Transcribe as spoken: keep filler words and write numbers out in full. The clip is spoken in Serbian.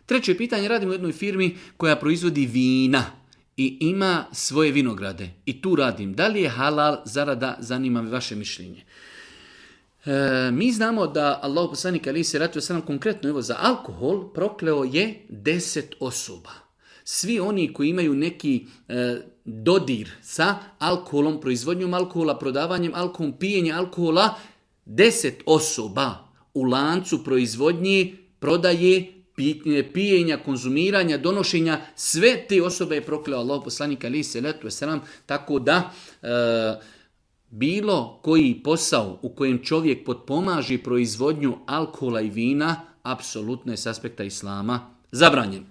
Treće pitanje, radimo u jednoj firmi koja proizvodi vina i ima svoje vinograde. I tu radim. Da li je halal zarada? Zanima me vaše mišljenje. E, mi znamo da Allah poslanik alejhi selatu vesselam konkretno evo za alkohol prokleo je deset osoba. Svi oni koji imaju neki e, dodir sa alkoholom, proizvodnjom alkohola, prodavanjem alkohola, pijenje alkohola, deset osoba u lancu proizvodnje, prodaje, pijenja, konzumiranja, donošenja, sve te osobe je prokleo Allah poslanik alejhi selatu vesselam, tako da e, bilo koji posao u kojem čovjek potpomaže proizvodnju alkohola i vina, apsolutno je s aspekta islama zabranjen.